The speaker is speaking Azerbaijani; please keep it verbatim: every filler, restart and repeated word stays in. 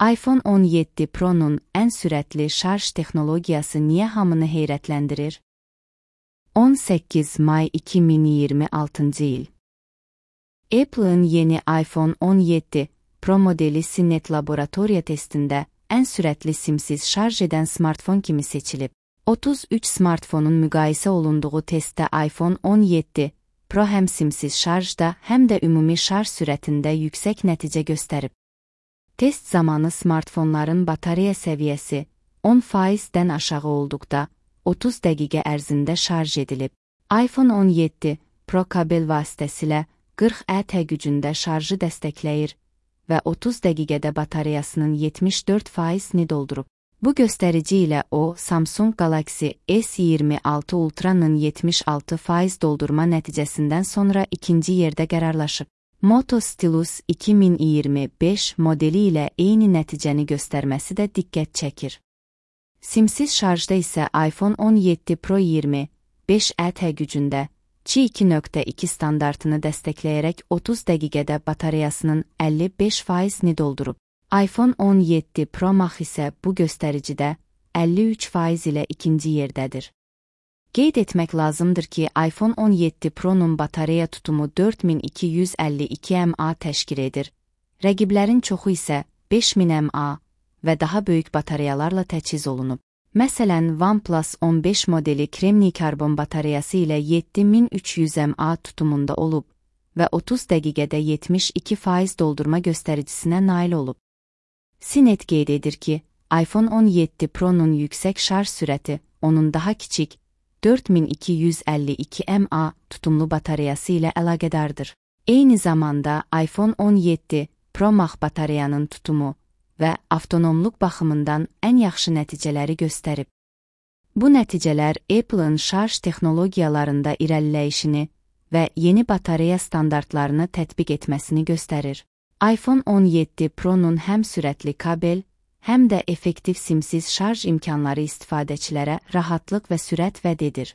iPhone on yeddi Pro'nun ən sürətli şarj texnologiyası niyə hamını heyrətləndirir? on səkkiz may iki min iyirmi altıncı il. Apple'ın yeni iPhone on yeddi Pro modeli Cinet laboratoriya testində ən sürətli simsiz şarj edən smartfon kimi seçilib. otuz üç smartfonun müqayisə olunduğu testdə iPhone on yeddi Pro həm simsiz şarjda, həm də ümumi şarj sürətində yüksək nəticə göstərib. Test zamanı smartfonların batareya səviyyəsi on faizdən aşağı olduqda otuz dəqiqə ərzində şarj edilib. iPhone on yeddi Pro kabel vasitəsilə qırx ət gücündə şarjı dəstəkləyir və otuz dəqiqədə batareyasının yetmiş dörd faizini doldurub. Bu göstərici ilə o, Samsung Galaxy S iyirmi altı Ultra'nın yetmiş altı faiz doldurma nəticəsindən sonra ikinci yerdə qərarlaşıb. Moto Stylus iki min iyirmi beş modeli ilə eyni nəticəni göstərməsi də diqqət çəkir. Simsiz şarjda isə iPhone on yeddi Pro iyirmi beş ət gücündə Qi iki nöqtə iki standartını dəstəkləyərək otuz dəqiqədə batareyasının əlli beş faizini doldurub. iPhone on yeddi Pro Max isə bu göstəricidə əlli üç faiz ilə ikinci yerdədir. Qeyd etmək lazımdır ki, iPhone on yeddi Pro'nun batareya tutumu dörd min iki yüz əlli iki mAh təşkil edir. Rəqiblərin çoxu isə beş min mAh və daha böyük batareyalarla təchiz olunub. Məsələn, OnePlus on beş modeli kremniy karbon batareyası ilə yeddi min üç yüz mAh tutumunda olub və otuz dəqiqədə yetmiş iki faiz doldurma göstəricinə nail olub. Cinet qeyd edir ki, iPhone on yeddi Pro'nun yüksək şarj sürəti, onun daha kiçik, dörd min iki yüz əlli iki mAh tutumlu batareyası ilə əlaqədardır. Eyni zamanda iPhone on yeddi Pro Max batareyanın tutumu və avtonomluq baxımından ən yaxşı nəticələri göstərib. Bu nəticələr Apple'ın şarj texnologiyalarında irəliləyişini və yeni batareya standartlarını tətbiq etməsini göstərir. iPhone on yeddi Pro'nun həm sürətli kabel, həm də effektiv simsiz şarj imkanları istifadəçilərə rahatlıq və sürət vəd edir.